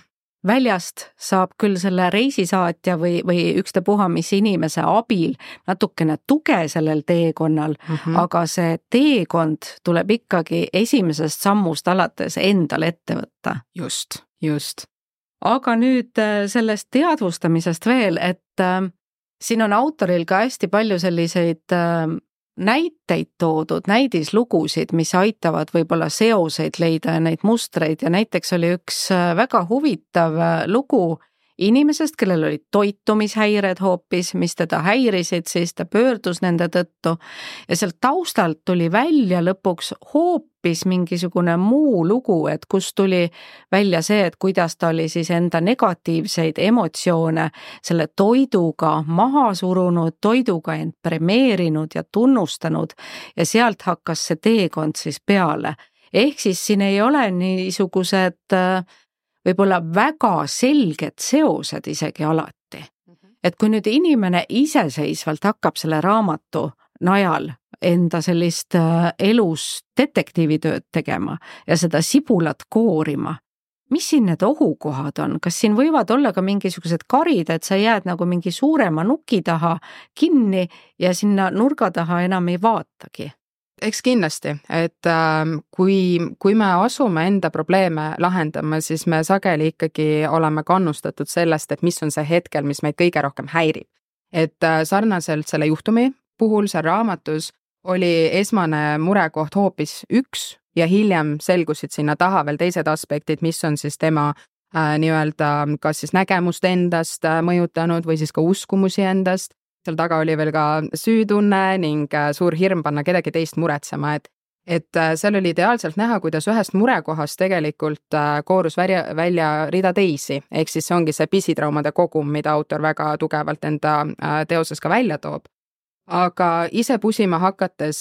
Väljast saab küll selle reisisaatja või, või ükstapuha mis inimese abil natukene tuge sellel teekonnal, mm-hmm. aga see teekond tuleb ikkagi esimesest sammust alates endal ette võtta. Just, just. Aga nüüd sellest teadvustamisest veel, et äh, siin on autoril ka hästi palju selliseid äh, näiteid toodud, näidislugusid, mis aitavad võib-olla seoseid leida ja neid mustreid ja näiteks oli üks väga huvitav lugu inimesest, kellel olid toitumishäired hoopis, mis teda häirisid, siis ta pöördus nende tõttu ja sealt taustalt tuli välja lõpuks hoopis hoopis mingisugune muu lugu, et kus tuli välja see, et kuidas ta oli siis enda negatiivseid emotsioone selle toiduga maha surunud, toiduga end premeerinud ja tunnustanud ja sealt hakkas see teekond siis peale. Ehk siis siin ei ole niisugused võib-olla väga selged seosed isegi alati. Et kui nüüd inimene iseseisvalt hakkab selle raamatu najal enda sellist elus detektiivitööd tegema ja seda sibulat koorima, mis siin need ohukohad on? Kas siin võivad olla ka mingisugused karid, et sa jääd nagu mingi suurema nuki taha kinni ja sinna nurga taha enam ei vaatagi? Eks kindlasti, et äh, kui, kui me asume enda probleeme lahendama, siis me sageli ikkagi oleme kannustatud sellest, et mis on see hetkel, mis meid kõige rohkem häirib. Et äh, sarnaselt selle juhtumi puhul seal raamatus oli esmane murekoht hoopis üks ja hiljem selgusid sinna taha veel teised aspektid, mis on siis tema äh, nii-öelda kas siis nägemust endast äh, mõjutanud või siis ka uskumusi endast. Seal taga oli veel ka süütunne ning äh, suur hirm panna kedagi teist muretsema, et, et äh, seal oli ideaalselt näha, kuidas ühest murekohast tegelikult äh, koorus välja, välja rida teisi, ehk siis see ongi see pisitraumade kogum, mida autor väga tugevalt enda äh, teoses ka välja toob. Aga ise pusima hakates,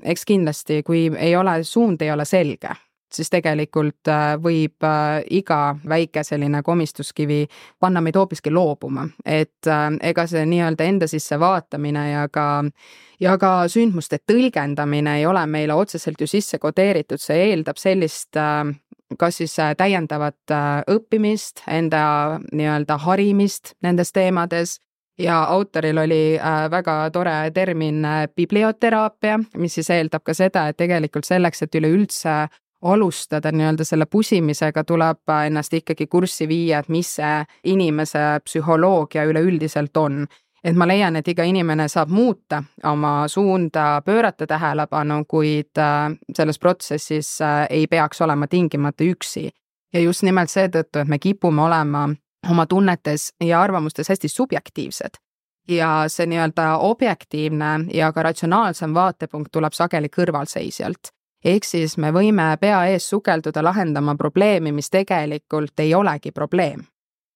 eks kindlasti, kui ei ole, suund ei ole selge, siis tegelikult võib iga väike selline komistuskivi panna meid hoopiski loobuma. Et ega see nii-öelda enda sisse vaatamine ja ka, ja ka sündmuste tõlgendamine ei ole meile otseselt ju sisse kodeeritud, see eeldab sellist kas siis täiendavat õppimist, enda nii-öelda harimist nendes teemades. Ja autoril oli väga tore termin biblioteraapia, mis siis eeldab ka seda, et tegelikult selleks, et üleüldse alustada nii-öelda selle pusimisega, tuleb ennast ikkagi kurssi viia, et mis see inimese psühholoogia üleüldiselt on. Et ma leian, et iga inimene saab muuta oma suunda, pöörata tähelepanu, kuid selles protsessis ei peaks olema tingimata üksi. Ja just nimelt seetõttu, et me kipume olema oma tunnetes ja arvamustes hästi subjektiivsed. Ja see nii-öelda objektiivne ja ka ratsionaalsem vaatepunkt tuleb sageli kõrvalseisjalt. Ehk siis me võime pea ees sukelduda lahendama probleemi, mis tegelikult ei olegi probleem.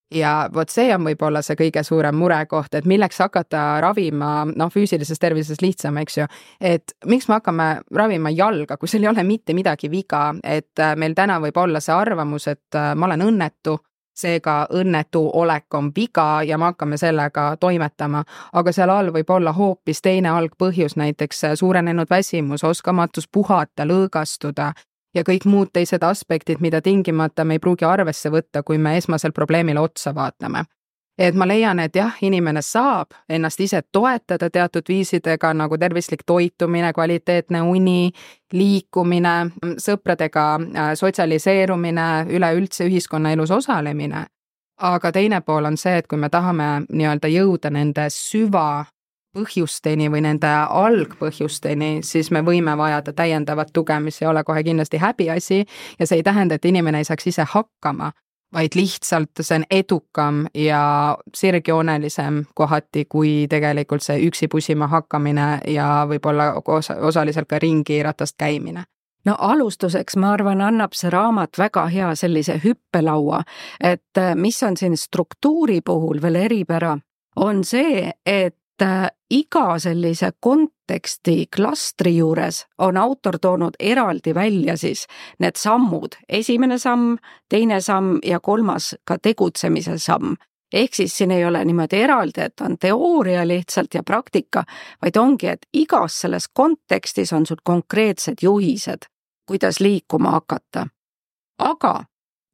Ja vot see on võib-olla see kõige suurem murekoht, et milleks hakata ravima, noh füüsilises tervises lihtsam, eks ju, et miks me hakkame ravima jalga, kui seal ei ole mitte midagi viga, et meil täna võib olla see arvamus, et ma olen õnnetu, seega õnnetu olek on viga ja me hakkame sellega toimetama, aga seal all võib olla hoopis teine algpõhjus, näiteks suurenenud väsimus, oskamatus puhata, lõõgastuda ja kõik muud teised aspektid, mida tingimata me ei pruugi arvesse võtta, kui me esmasel probleemile otsa vaatame. Et ma leian, et jah, inimene saab ennast ise toetada teatud viisidega nagu tervislik toitumine, kvaliteetne uni, liikumine, sõpradega sotsialiseerumine, üleüldse ühiskonnaelus osalemine. Aga teine pool on see, et kui me tahame nii-öelda jõuda nende süva põhjusteni või nende algpõhjusteni, siis me võime vajada täiendavat tuge, mis ei ole kohe kindlasti häbiasi ja see ei tähenda, et inimene ei saaks ise hakkama, vaid lihtsalt see on edukam ja sirgjoonelisem kohati, kui tegelikult see üksi pusima hakkamine ja võib-olla osa, osaliselt ka ringi ratast käimine. No alustuseks ma arvan, annab see raamat väga hea sellise hüppelaua, et mis on siin struktuuri puhul veel eripära, on see, et iga sellise konteksti klastri juures on autor toonud eraldi välja siis need sammud, esimene samm, teine samm ja kolmas ka tegutsemise samm. Ehk siis siin ei ole niimoodi eraldi, et on teooria lihtsalt ja praktika, vaid ongi, et igas selles kontekstis on sul konkreetsed juhised, kuidas liikuma hakata. Aga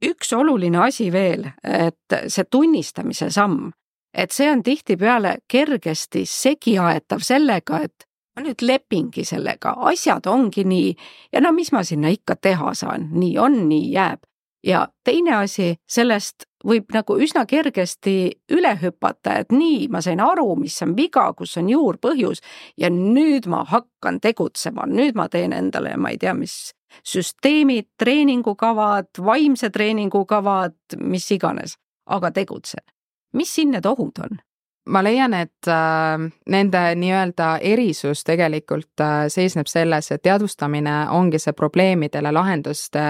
üks oluline asi veel, et see tunnistamise samm, et see on tihtipeale kergesti segiaetav sellega, et ma nüüd lepingi sellega, asjad ongi nii ja no mis ma sinna ikka teha saan, nii on, nii jääb. Ja teine asi, sellest võib nagu üsna kergesti üle hüpata, et nii, ma sain aru, mis on viga, kus on juurpõhjus ja nüüd ma hakkan tegutsema, nüüd ma teen endale, ma ei tea, mis süsteemid, treeningukavad, vaimse treeningukavad, mis iganes, aga tegutsen. Mis siin need ohud on? ma leian, et äh, nende nii-öelda erisus tegelikult äh, seisneb selles, et teadvustamine ongi see probleemidele lahenduste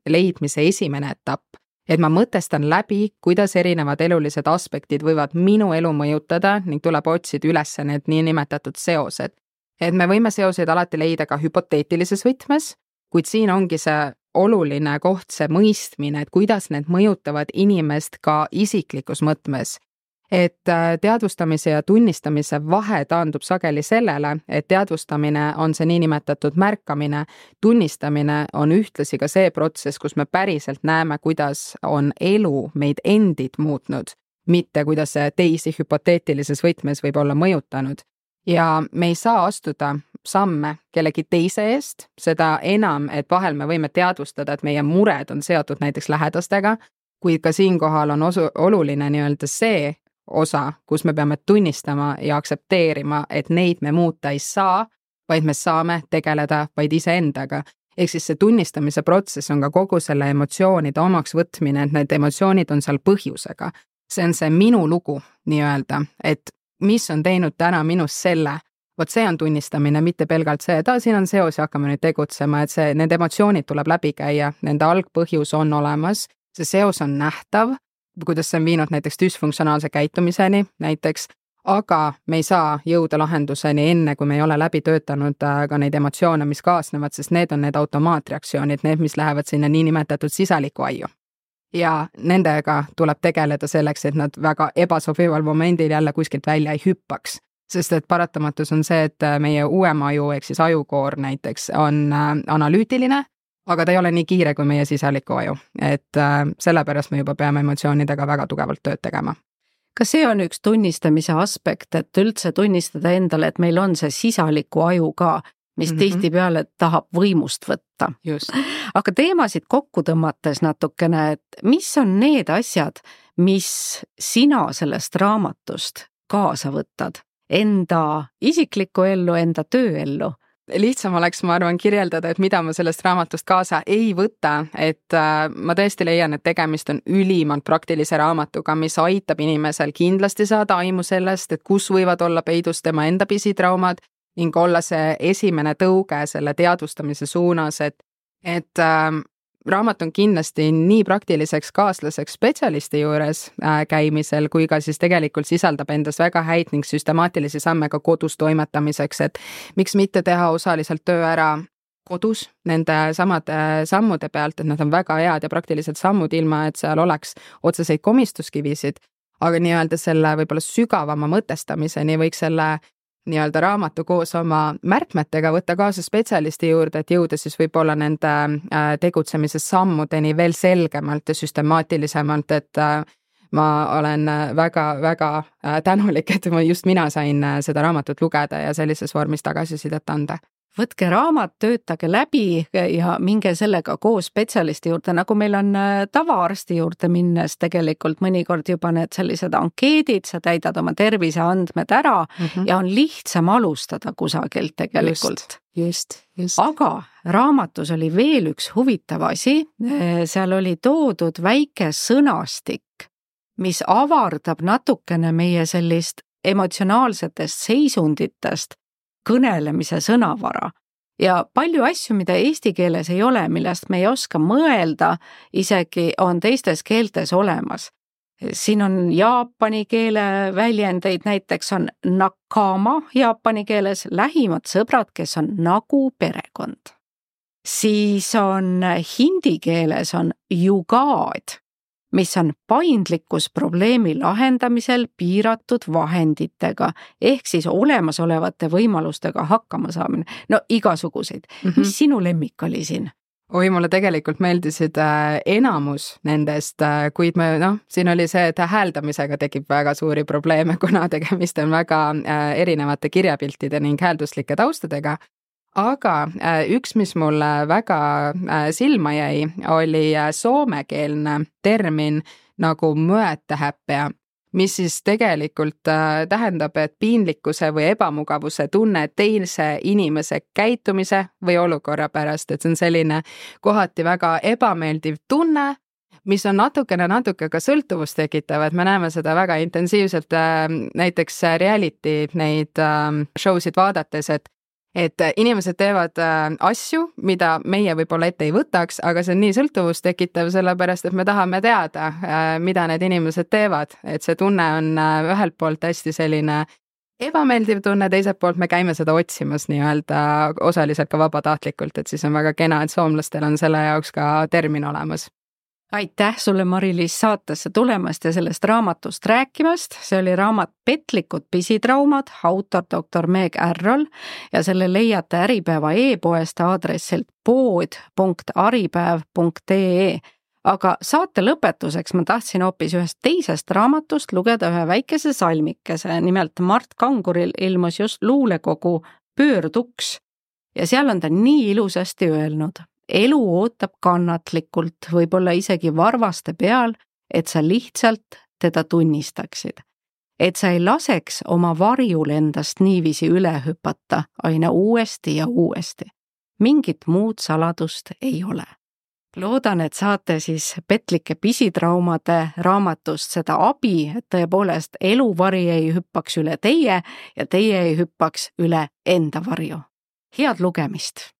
leidmise esimene etapp. Et ma mõtestan läbi, kuidas erinevad elulised aspektid võivad minu elu mõjutada ning tuleb otsida üles need niinimetatud seosed. Et me võime seoseid alati leida ka hüpoteetilises võtmes, kuid siin ongi see oluline koht, see mõistmine, et kuidas need mõjutavad inimest ka isiklikus mõtmes. Et teadvustamise ja tunnistamise vahe taandub sageli sellele, et teadvustamine on see niinimetatud märkamine, tunnistamine on ühtlasi ka see protsess, kus me päriselt näeme, kuidas on elu meid endid muutnud, mitte kuidas see teisi hüpoteetilises võtmes võib olla mõjutanud. Ja me ei saa astuda samme kellegi teise eest, seda enam, et vahel me võime teadvustada, et meie mured on seotud näiteks lähedastega, kuid ka siinkohal on osu, oluline nii-öelda see osa, kus me peame tunnistama ja aktsepteerima, et neid me muuta ei saa, vaid me saame tegeleda vaid iseendaga. Ehk siis see tunnistamise protsess on ka kogu selle emotsioonide omaks võtmine, et need emotsioonid on seal põhjusega. See on see minu lugu nii-öelda, et mis on teinud täna minus selle, vot see on tunnistamine, mitte pelgalt see, et siin on seos ja hakkame nüüd tegutsema, et see, need emotsioonid tuleb läbi käia, nende algpõhjus on olemas, see seos on nähtav, kuidas see on viinud näiteks düsfunktsionaalse käitumiseni näiteks, aga me ei saa jõuda lahenduseni enne, kui me ei ole läbi töötanud ka neid emotsioone, mis kaasnevad, sest need on need automaatreaktsioonid, need, mis lähevad sinna niinimetatud sisaliku aiu. Ja nendega tuleb tegeleda selleks, et nad väga ebasobival momendil jälle kuskilt välja ei hüppaks. Sest et paratamatus on see, et meie uuem aju, ehk siis ajukoor näiteks, on analüütiline, aga ta ei ole nii kiire kui meie sisaliku aju. Et sellepärast me juba peame emotsioonidega väga tugevalt tööd tegema. Kas see on üks tunnistamise aspekt, et üldse tunnistada endale, et meil on see sisaliku aju ka, mis mm-hmm. tihtipeale tahab võimust võtta? Just. Aga teemasid kokku tõmmates natukene, et mis on need asjad, mis sina sellest raamatust kaasa võtad? Enda isiklikku ellu, enda tööellu? Lihtsam oleks, ma arvan, kirjeldada, et mida ma sellest raamatust kaasa ei võta, et ma tõesti leian, et tegemist on ülimalt praktilise raamatuga, mis aitab inimesel kindlasti saada aimu sellest, et kus võivad olla peidus tema enda pisitraumad ning olla see esimene tõuge selle teadvustamise suunas, et, et äh, raamat on kindlasti nii praktiliseks kaaslaseks spetsialisti juures äh, käimisel, kui ka siis tegelikult sisaldab endas väga häid ning süstemaatilisi samme ka kodus toimetamiseks, et miks mitte teha osaliselt töö ära kodus nende samade sammude pealt, et nad on väga head ja praktilised sammud, ilma et seal oleks otseseid komistuskivisid, aga nii-öelda selle võib-olla sügavama mõtestamiseni võiks selle nii-öelda raamatu koos oma märkmetega võtta kaasa spetsialisti juurde, et jõuda siis võib-olla nende tegutsemise sammudeni veel selgemalt ja süstemaatilisemalt, et ma olen väga-väga tänulik, et just mina sain seda raamatut lugeda ja sellises vormis tagasisidet anda. Võtke raamat, töötage läbi ja minge sellega koos spetsialisti juurde, nagu meil on tavaarsti juurde minnes tegelikult mõnikord juba need sellised ankeedid, sa täidad oma terviseandmed ära mm-hmm. ja on lihtsam alustada kusagilt tegelikult. Just, just. Aga raamatus oli veel üks huvitav asi, seal oli toodud väike sõnastik, mis avardab natukene meie sellist emotsionaalsetest seisunditest kõnelemise sõnavara. Ja palju asju, mida eesti keeles ei ole, millest me ei oska mõelda, isegi on teistes keeltes olemas. Siin on jaapani keele väljendeid, näiteks on nakama jaapani keeles, lähimad sõbrad, kes on nagu perekond. Siis on hindi keeles on jugaad, mis on paindlikkus probleemi lahendamisel piiratud vahenditega, ehk siis olemasolevate võimalustega hakkama saamine. No igasuguseid. Mm-hmm. Mis sinu lemmik oli siin? Oi, mulle tegelikult meeldisid äh, enamus nendest, äh, kuid me, noh, siin oli see, et hääldamisega tekib väga suuri probleeme, kuna tegemist on väga äh, erinevate kirjapiltide ning häälduslike taustadega. Aga üks, mis mulle väga silma jäi, oli soomekeelne termin nagu mõetahäppea, mis siis tegelikult tähendab, et piinlikkuse või ebamugavuse tunne teise inimese käitumise või olukorra pärast, et see on selline kohati väga ebameeldiv tunne, mis on natukene natuke ka sõltuvust tekitav, et me näeme seda väga intensiivselt näiteks reality neid show sid vaadates, et et inimesed teevad asju, mida meie võib-olla ette ei võtaks, aga see on nii sõltuvust tekitav, sellepärast et me tahame teada, mida need inimesed teevad, et see tunne on ühelt poolt hästi selline ebameeldiv tunne, teiselt poolt me käime seda otsimas nii-öelda osaliselt ka vabatahtlikult, et siis on väga kena, et soomlastel on selle jaoks ka termin olemas. Aitäh sulle, Mari-Liis, saatesse tulemast ja sellest raamatust rääkimast. See oli raamat Petlikud pisitraumad, autor doktor Meg Ärrol ja selle leiate Äripäeva e-poest aadressilt pood punkt aripäev punkt ee. Aga saate lõpetuseks ma tahtsin hoopis ühest teisest raamatust lugeda ühe väikese salmikese. Nimelt Mart Kanguril ilmus just luulekogu Pöörduks ja seal on ta nii ilusasti öelnud. Elu ootab kannatlikult, võib-olla isegi varvaste peal, et sa lihtsalt teda tunnistaksid. Et sa ei laseks oma varjul endast niiviisi üle hüpata aina uuesti ja uuesti. Mingit muud saladust ei ole. Loodan, et saate siis Petlike pisitraumade raamatust seda abi, et tõepoolest eluvari ei hüppaks üle teie ja teie ei hüppaks üle enda varju. Head lugemist!